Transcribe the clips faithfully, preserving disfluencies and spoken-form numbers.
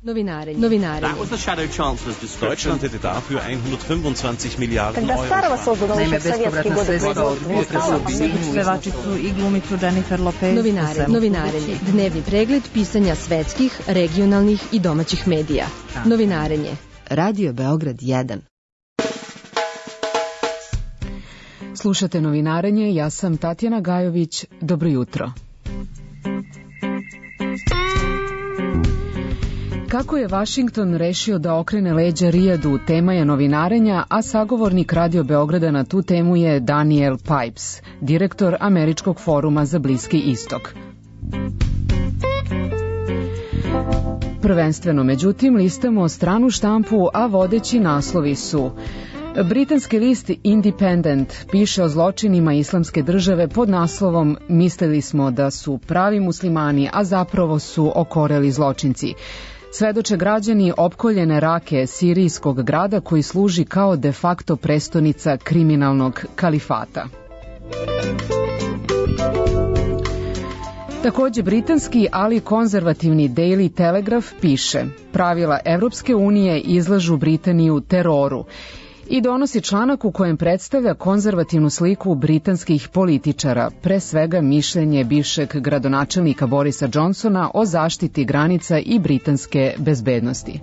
Novinarenje. Novinarenje. Deutschland hätte dafür hundertfünfundzwanzig Miliarden Когда старого созданного еще в советские годы производства Pevačicu i glumicu Jennifer Lopez. Novinarenje. Novinarenje. Dnevni pregled pisanja svetskih, regionalnih i domaćih medija. Novinarenje. Radio Beograd jedan. Slušate Novinarenje, ja sam Tatjana Gajović. Dobro jutro. Kako je Vašington rešio da okrene leđa Rijadu, tema je novinarenja, a sagovornik Radio Beograda na tu temu je Daniel Pipes, direktor Američkog foruma za Bliski istok. Prvenstveno, međutim, listamo stranu štampu, a vodeći naslovi su: britanski list Independent piše o zločinima islamske države pod naslovom "Mislili smo da su pravi muslimani, a zapravo su okoreli zločinci". Svedoče građani opkoljene Rake, sirijskog grada koji služi kao de facto prestonica kriminalnog kalifata. Takođe britanski, ali konzervativni Daily Telegraph piše: pravila Evropske unije izlažu Britaniju teroru, i donosi članak u kojem predstavlja konzervativnu sliku britanskih političara, pre svega mišljenje bivšeg gradonačelnika Borisa Johnsona o zaštiti granica i britanske bezbednosti.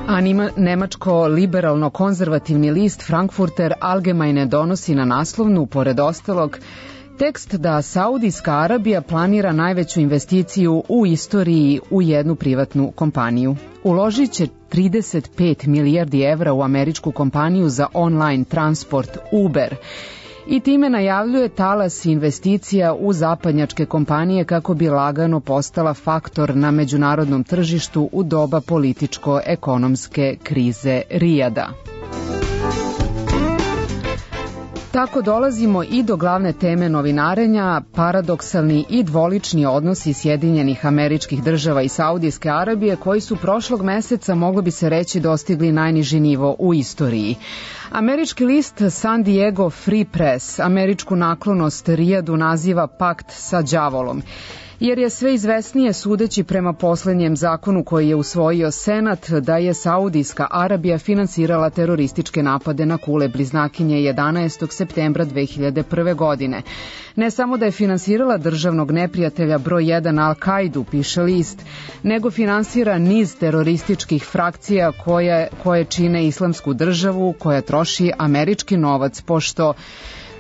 A nemačko liberalno-konzervativni list Frankfurter Allgemeine donosi na naslovnu, pored ostalog, tekst da Saudijska Arabija planira najveću investiciju u istoriji u jednu privatnu kompaniju. Uložit će trideset pet milijardi evra u američku kompaniju za online transport Uber i time najavljuje talas investicija u zapadnjačke kompanije kako bi lagano postala faktor na međunarodnom tržištu u doba političko-ekonomske krize Rijada. Tako dolazimo i do glavne teme novinarenja, paradoksalni i dvolični odnosi Sjedinjenih Američkih Država i Saudijske Arabije, koji su prošlog meseca, moglo bi se reći, dostigli najniži nivo u istoriji. Američki list San Diego Free Press američku naklonost Rijadu naziva pakt sa đavolom, jer je sve izvesnije, sudeći prema poslednjem zakonu koji je usvojio Senat, da je Saudijska Arabija finansirala terorističke napade na kule bliznakinje jedanaestog septembra dve hiljade prve. godine. Ne samo da je finansirala državnog neprijatelja broj jedan Al-Kaidu, piše list, nego finansira niz terorističkih frakcija koje, koje čine islamsku državu, koja troši američki novac, pošto,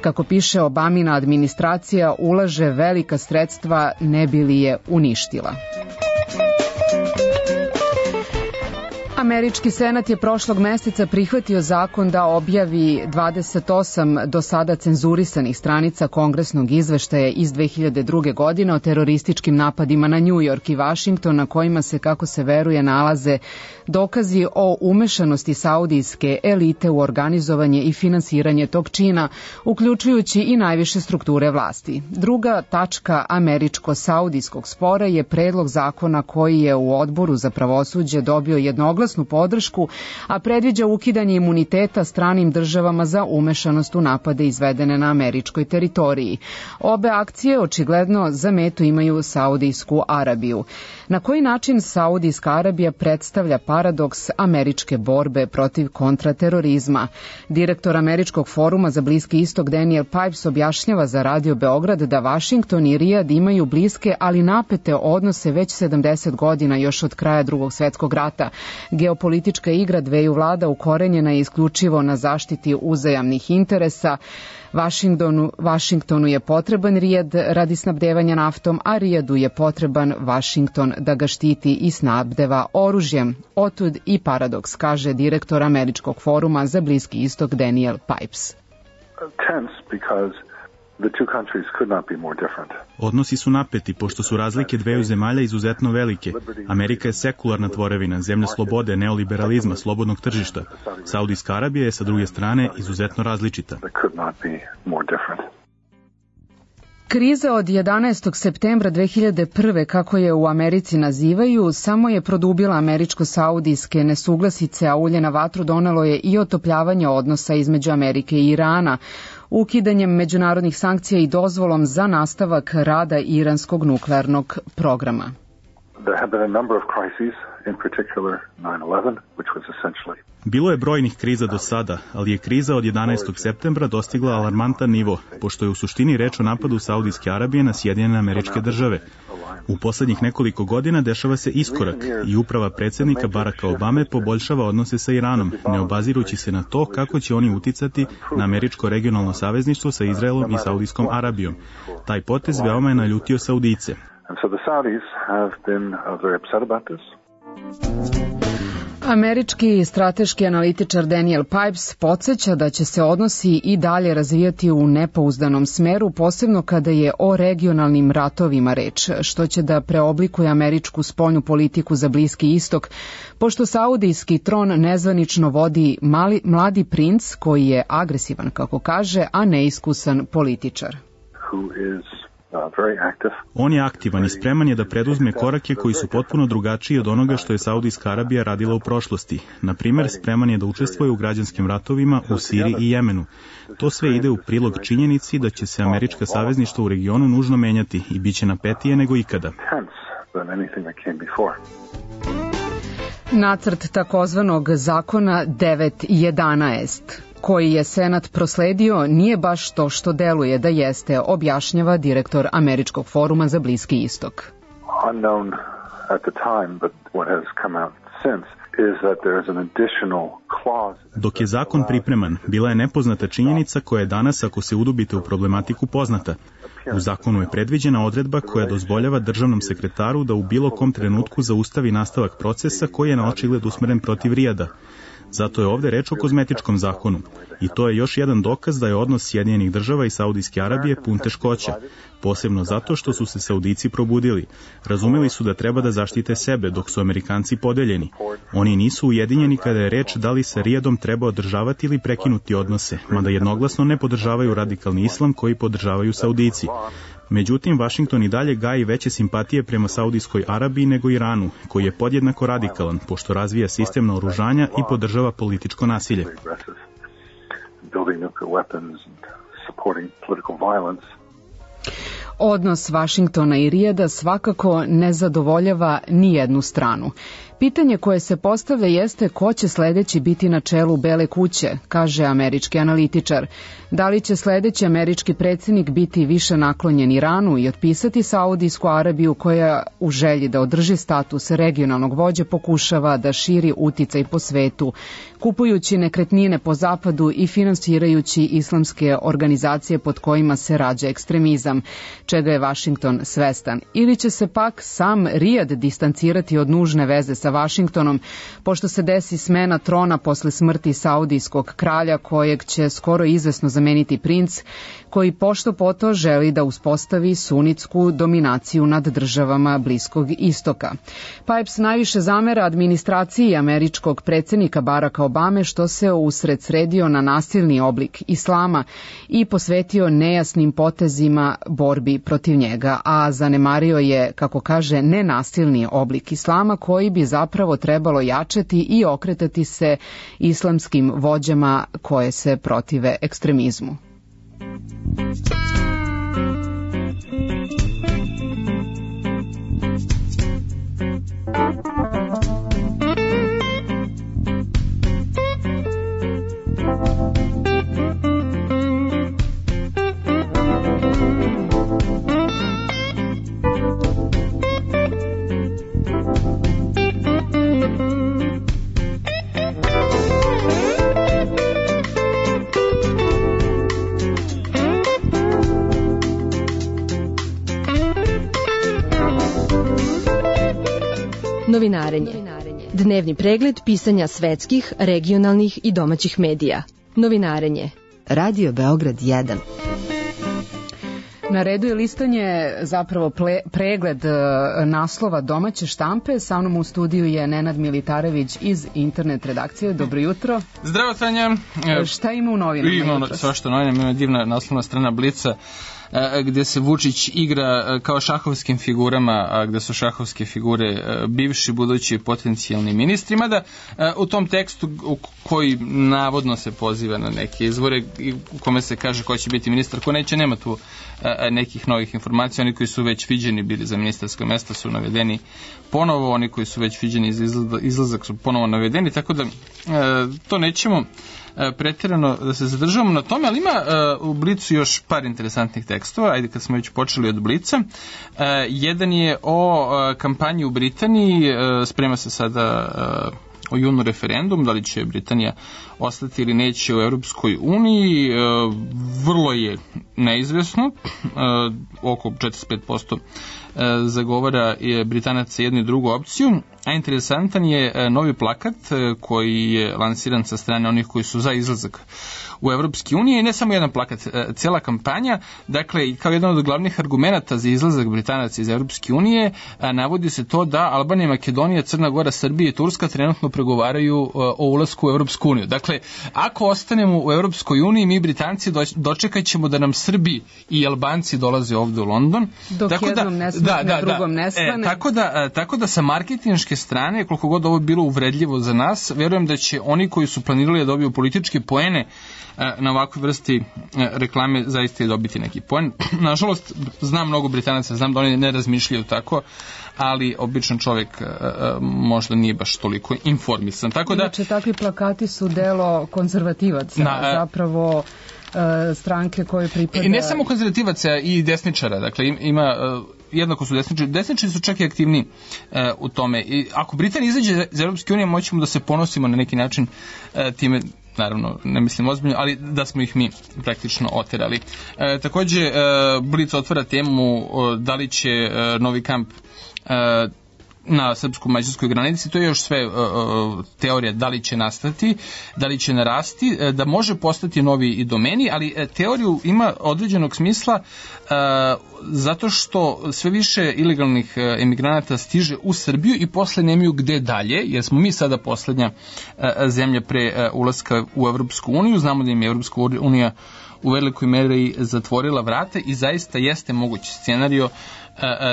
kako piše Obamina administracija, ulaže velika sredstva ne bi li je uništila. Američki senat je prošlog meseca prihvatio zakon da objavi dvadeset osam do sada cenzurisanih stranica kongresnog izveštaja iz dve hiljade druge. godine o terorističkim napadima na New York i Washington, na kojima se, kako se veruje, nalaze dokazi o umešanosti saudijske elite u organizovanje i finansiranje tog čina, uključujući i najviše strukture vlasti. Druga tačka američko-saudijskog spora je predlog zakona koji je u Odboru za pravosuđe dobio jednoglasnu podršku, a predviđa ukidanje imuniteta stranim državama za umešanost u napade izvedene na američkoj teritoriji. Obe akcije očigledno za metu imaju Saudijsku Arabiju. Na koji način Saudijska Arabija predstavlja paradoks američke borbe protiv kontraterorizma? Direktor Američkog foruma za Bliski istok Daniel Pipes objašnjava za Radio Beograd da Vašington i Rijad imaju bliske, ali napete odnose već sedamdeset godina, još od kraja Drugog svetskog rata. Geopolitička igra dveju vlada ukorenjena je isključivo na zaštiti uzajamnih interesa. Vašingtonu, Vašingtonu je potreban Rijad radi snabdevanja naftom, a Rijadu je potreban Vašington da ga štiti i snabdeva oružjem. Otud i paradoks, kaže direktor Američkog foruma za Bliski istok Daniel Pipes. Tense because the two countries could not be more different. Odnosi su napeti, pošto su razlike dveju zemalja izuzetno velike. Amerika je sekularna tvorevina, zemlja slobode, neoliberalizma, slobodnog tržišta. Saudijska Arabija je, sa druge strane, izuzetno različita. Kriza od jedanaestog septembra dve hiljade prve. kako je u Americi nazivaju, samo je produbila američko-saudijske nesuglasice, a ulje na vatru donelo je i otopljavanje odnosa između Amerike i Irana. ukidanjem međunarodnih sankcija i dozvolom za nastavak rada iranskog nuklearnog programa. There have been a number of crises, in particular nine eleven, which was essentially... Bilo je brojnih kriza do sada, ali je kriza od jedanaestog septembra dostigla alarmantan nivo, pošto je u suštini reč o napadu Saudijske Arabije na Sjedinjene Američke Države. U poslednjih nekoliko godina dešava se iskorak i uprava predsjednika Baracka Obame poboljšava odnose sa Iranom, ne obazirući se na to kako će oni uticati na američko regionalno savezništvo sa Izraelom i Saudijskom Arabijom. Taj potez veoma je naljutio Saudice. Američki strateški analitičar Daniel Pipes podsjeća da će se odnosi i dalje razvijati u nepouzdanom smeru, posebno kada je o regionalnim ratovima reč, što će da preoblikuje američku spoljnu politiku za Bliski istok, pošto saudijski tron nezvanično vodi mali, mladi princ koji je agresivan, kako kaže, a neiskusan političar. On je aktivan i spreman je da preduzme korake koji su potpuno drugačiji od onoga što je Saudijska Arabija radila u prošlosti. Na primer, spreman je da učestvuje u građanskim ratovima u Siriji i Jemenu. To sve ide u prilog činjenici da će se američka savezništva u regionu nužno menjati i bit će napetije nego ikada. Nacrt takozvanog zakona devet jedanaest, koji je Senat prosledio, nije baš to što deluje da jeste, objašnjava direktor Američkog foruma za Bliski istok. Unknown at the time, but what has come out since is that there is an additional clause. Dok je zakon pripreman, bila je nepoznata činjenica koja je danas, ako se udubite u problematiku, poznata. U zakonu je predviđena odredba koja dozvoljava državnom sekretaru da u bilo kom trenutku zaustavi nastavak procesa koji je na očigled usmeren protiv Rijada. Zato je ovde reč o kozmetičkom zakonu. I to je još jedan dokaz da je odnos Sjedinjenih država i Saudijske Arabije pun teškoća, posebno zato što su se Saudici probudili. Razumeli su da treba da zaštite sebe, dok su Amerikanci podeljeni. Oni nisu ujedinjeni kada je reč da li sa Rijadom treba održavati ili prekinuti odnose, mada jednoglasno ne podržavaju radikalni islam koji podržavaju Saudici. Međutim, Vašington i dalje gaji veće simpatije prema Saudijskoj Arabiji nego Iranu, koji je podjednako radikalan, pošto razvija sistem naoružanja i podržava političko nasilje. Odnos Vašingtona i Rijada svakako ne zadovoljava ni jednu stranu. Pitanje koje se postavlja jeste ko će sledeći biti na čelu Bele kuće, kaže američki analitičar. Da li će sledeći američki predsjednik biti više naklonjen Iranu i otpisati Saudijsku Arabiju koja u želji da održi status regionalnog vođe pokušava da širi uticaj po svetu, kupujući nekretnine po zapadu i finansirajući islamske organizacije pod kojima se rađa ekstremizam, čega je Vašington svestan. Ili će se pak sam Rijad distancirati od nužne veze sa Vašingtonom, pošto se desi smena trona posle smrti saudijskog kralja kojeg će skoro izvesno zameniti princ, koji pošto poto želi da uspostavi sunitsku dominaciju nad državama Bliskog istoka. Pipes najviše zamera administraciji američkog predsjednika Baracka Obame što se usred sredio na nasilni oblik islama i posvetio nejasnim potezima borbi protiv njega, a zanemario je, kako kaže, nenasilni oblik islama koji bi zapravo trebalo jačati i okretati se islamskim vođama koje se protive ekstremizmu. Novinarenje. Dnevni pregled pisanja svetskih, regionalnih i domaćih medija. Novinarenje. Radio Beograd jedan. Na redu je listanje, zapravo ple, pregled naslova domaće štampe. Sa mnom u studiju je Nenad Militarević iz internet redakcije. Dobro jutro. Zdravo, Tanja. Šta ima u novinama? Ima svašta novina, ima divna naslovna strana Blica. gde se Vučić igra kao šahovskim figurama, a gde su šahovske figure bivši, budući potencijalni ministri, mada u tom tekstu koji navodno se poziva na neke izvore u kome se kaže ko će biti ministar, ko neće, nema tu nekih novih informacija. Oni koji su već viđeni bili za ministarska mesta su navedeni ponovo, oni koji su već viđeni za izlazak su ponovo navedeni, tako da to nećemo pretjerano da se zadržavamo na tome, ali ima uh, u Blicu još par interesantnih tekstova. Ajde, kad smo već počeli od Blica. Uh, jedan je o uh, kampanji u Britaniji, uh, sprema se sada uh, o junu referendum, da li će Britanija ostati ili neće u Europskoj uniji. Uh, vrlo je neizvesno, uh, oko četrdeset pet posto uh, zagovara je Britanaca jednu i drugu opciju, a interesantan je novi plakat koji je lansiran sa strane onih koji su za izlazak u Evropski unije i ne samo jedan plakat, cela kampanja, dakle kao jedan od glavnih argumenata za izlazak Britanaca iz Evropske unije navodi se to da Albanija, Makedonija, Crna Gora, Srbija i Turska trenutno pregovaraju o ulasku u Evropsku uniju. Dakle, ako ostanemo u Evropskoj uniji, mi Britanci dočekat ćemo da nam Srbi i Albanci dolaze ovde u London. Dok tako jednom da, ne smrkne, da, da, drugom da, ne stane. E, tako, da, tako da sa marketinške strane, koliko god ovo bilo uvredljivo za nas, verujem da će oni koji su planirali da dobiju političke poene na ovakvoj vrsti reklame zaista je dobiti neki poen. Nažalost, znam mnogo Britanaca, znam da oni ne razmišljaju tako, ali običan čovjek možda nije baš toliko informisan. Tako da, znači, takvi plakati su delo konzervativaca, na, zapravo stranke koje pripada... I ne samo konzervativaca, i desničara. Dakle, ima... jednako su desničari. Desničari su čak i aktivni e, u tome. I ako Britanija izađe iz Europske unije, moćemo da se ponosimo na neki način e, time, naravno, ne mislim ozbiljno, ali da smo ih mi praktično oterali. E, takođe, e, Blic otvara temu o, da li će e, novi kamp e, na srpsko-mađarskoj granici, to je još sve uh, teorija da li će nastati, da li će narasti, da može postati novi i domeni, ali teoriju ima određenog smisla uh, zato što sve više ilegalnih emigranata stiže u Srbiju i posle nemaju gde dalje, jer smo mi sada poslednja uh, zemlja pre uh, ulaska u Evropsku uniju, znamo da im je Evropska unija u velikoj meri zatvorila vrata i zaista jeste mogući scenario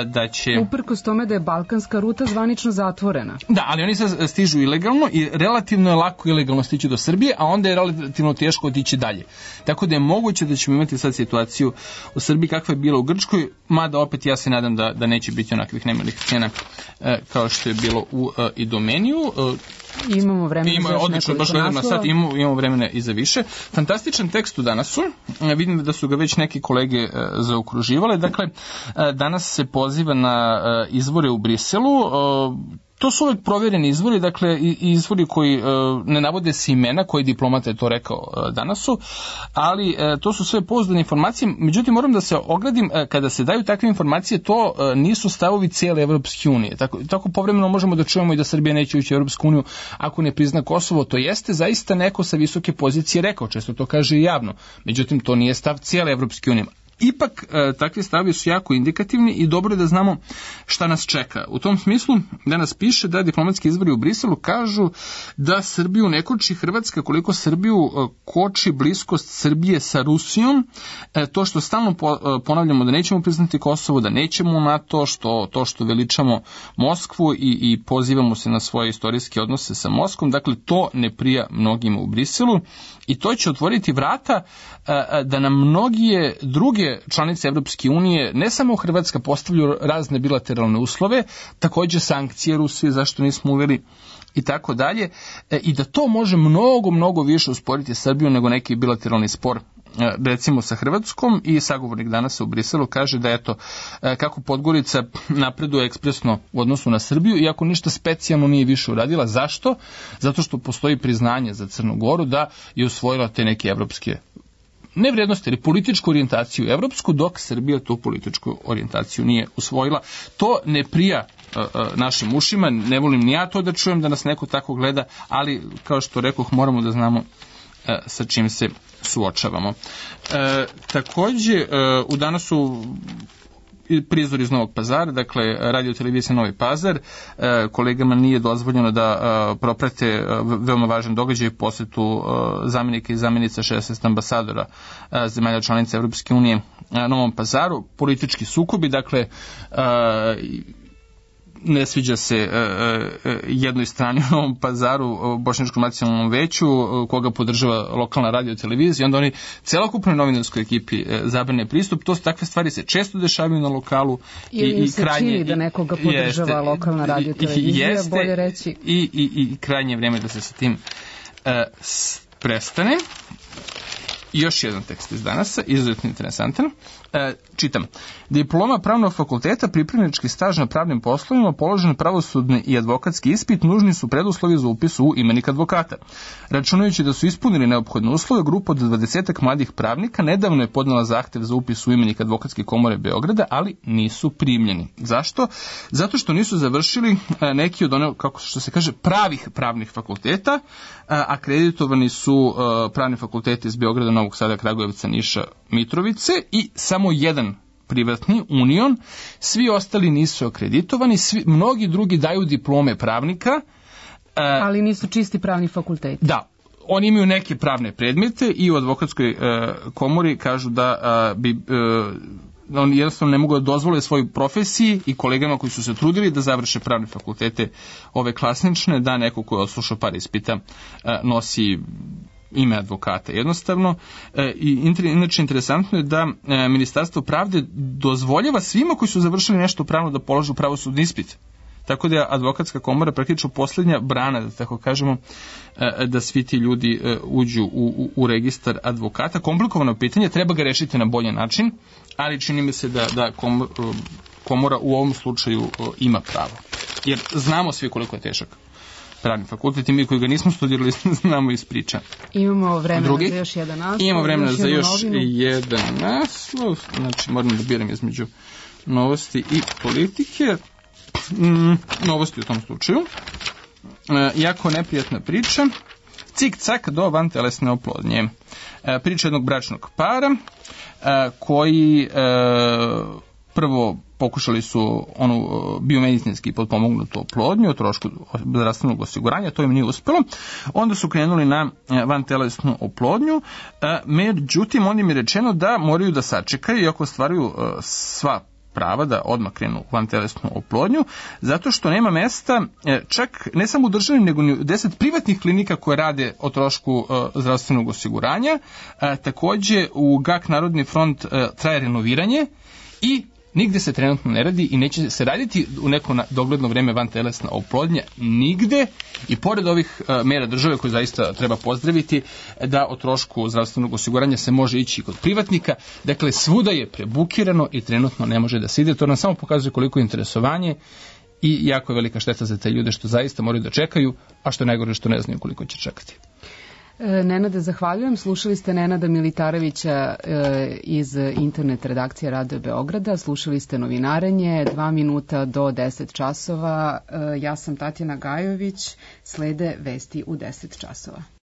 da će... Uprkos tome da je balkanska ruta zvanično zatvorena. Da, ali oni sad stižu ilegalno i relativno je lako ilegalno stići do Srbije, a onda je relativno teško otići dalje. Tako da je moguće da ćemo imati sad situaciju u Srbiji kakva je bila u Grčkoj, mada opet ja se nadam da, da neće biti onakvih nemalih scena e, kao što je bilo u e, Idomeniju. E, Imamo vremena Ima, za još odlično, baš gledam na sat, imamo, imamo vremena i za više. Fantastičan tekst u danasu, e, vidim da su ga već neki kolege e, zaokruživale. Dakle, e, danas se poziva na e, izvore u Briselu. E, To su uvek provjereni izvori, dakle i izvori koji e, ne navode se imena, koji diplomata je to rekao e, danas su, ali e, to su sve pouzdane informacije. Međutim, moram da se ogradim, e, kada se daju takve informacije, to e, nisu stavovi cijele Evropske unije. Tako, tako povremeno možemo da čujemo i da Srbija neće ući u Evropsku uniju ako ne prizna Kosovo. To jeste zaista neko sa visoke pozicije rekao, često to kaže i javno. Međutim, to nije stav cijele Evropske unije. Ipak, e, takvi stavi su jako indikativni i dobro je da znamo šta nas čeka. U tom smislu, danas piše da diplomatski izvori u Briselu kažu da Srbiju ne koči Hrvatska koliko Srbiju e, koči bliskost Srbije sa Rusijom. E, to što stalno po, e, ponavljamo da nećemo priznati Kosovo, da nećemo u NATO, što, to što veličamo Moskvu i, i pozivamo se na svoje istorijske odnose sa Moskvom, dakle to ne prija mnogima u Briselu i to će otvoriti vrata e, da nam mnogije druge članice Evropske unije, ne samo Hrvatska, postavljaju razne bilateralne uslove, takođe sankcije Rusije, zašto nismo uveli i tako dalje, i da to može mnogo, mnogo više usporiti Srbiju nego neki bilateralni spor recimo sa Hrvatskom. I sagovornik danas u Briselu kaže da eto kako Podgorica napreduje ekspresno u odnosu na Srbiju, iako ništa specijalno nije više uradila. Zašto? Zato što postoji priznanje za Crnu Goru da je usvojila te neke evropske ne vrijednosti, ali političku orijentaciju evropsku, dok Srbija tu političku orijentaciju nije usvojila. To ne prija uh, uh, našim ušima, ne volim ni ja to da čujem da nas neko tako gleda, ali kao što rekoh, moramo da znamo uh, sa čim se suočavamo. Uh, takođe, uh, u danasu prizor iz Novog Pazara, dakle radio televizija Novi Pazar. Kolegama nije dozvoljeno da proprate veoma važan događaj, posjetu zamjenika i zamjenica šesnaest ambasadora zemalja članica Evropske unije Novom Pazaru. Politički sukobi, dakle ne sviđa se e, e, jednoj strani u Novom Pazaru, Bošnjačkom nacionalnom veću, koga podržava lokalna radio televizija, onda oni celokupnoj novinarskoj ekipi e, zabrane pristup. To su takve stvari se često dešavaju na lokalu. Ili i, i se krajnje, čini da nekoga podržava jeste, lokalna radio televizija, jeste, bolje reći. I, i, i krajnje vrijeme da se sa tim e, prestane. I još jedan tekst iz danasa, izuzetno interesantan. E, čitam. Diploma pravnog fakulteta, pripravnički staž na pravnim poslovima, položen pravosudni i advokatski ispit nužni su preduslovi za upis u imenik advokata. Računajući da su ispunili neophodne uslove, grupa od dvadesetak mladih pravnika nedavno je podnela zahtev za upis u imenik Advokatske komore Beograda, ali nisu primljeni. Zašto? Zato što nisu završili neki od one, kako što se kaže, pravih pravnih fakulteta, akreditovani su pravni fakulteti iz Beograda, Novog Sada, Kragujevca, Niša, Mitrovice i samo jedan privatni, Union. Svi ostali nisu akreditovani, svi, mnogi drugi daju diplome pravnika. Ali nisu čisti pravni fakulteti. Da, oni imaju neke pravne predmete i u advokatskoj uh, komori kažu da uh, bi... Uh, oni jednostavno ne mogu da dozvole svojoj profesiji i kolegama koji su se trudili da završe pravne fakultete ove klasične, da neko ko je odslušao par ispita uh, nosi ime advokata. Jednostavno, e, i inače interesantno je da e, Ministarstvo pravde dozvoljava svima koji su završili nešto pravno da polažu pravosudni ispit. Tako da je advokatska komora praktično posljednja brana, da tako kažemo, e, da svi ti ljudi e, uđu u, u, u registar advokata. Komplikovano pitanje, treba ga rešiti na bolji način, ali čini mi se da, da komora, komora u ovom slučaju e, ima pravo. Jer znamo svi koliko je težak pravni fakultet i mi koji ga nismo studirali znamo iz priča. Imamo vremena Drugi. za još jedan naslov. Imamo vremena za još novinu. jedan naslov. Znači moram da biram između novosti i politike. Mm, novosti u tom slučaju. E, jako neprijatna priča. Cik-cak do vantelesne oplodnje. E, priča jednog bračnog para e, koji e, prvo pokušali su onu biomedicinski potpomognutu oplodnju o trošku zdravstvenog osiguranja, to im nije uspjelo. Onda su krenuli na vantelesnu oplodnju, međutim on im je rečeno da moraju da sačekaju iako ostvaruju sva prava da odmah krenu u vantelesnu oplodnju, zato što nema mesta čak ne samo u državi, nego ni u deset privatnih klinika koje rade o trošku zdravstvenog osiguranja. Takođe u G A K Narodni front traje renoviranje i nigde se trenutno ne radi i neće se raditi u neko dogledno vreme vantelesna oplodnja nigde i pored ovih uh, mera države koje zaista treba pozdraviti da o trošku zdravstvenog osiguranja se može ići kod privatnika. Dakle, svuda je prebukirano i trenutno ne može da se ide. To nam samo pokazuje koliko je interesovanje i jako je velika šteta za te ljude što zaista moraju da čekaju, a što je najgore što ne znaju koliko će čekati. Nenade, zahvaljujem. Slušali ste Nenada Militarevića iz internet redakcije Radio Beograda. Slušali ste novinarenje, dva minuta do deset časova. Ja sam Tatjana Gajović. Slede vesti u deset časova.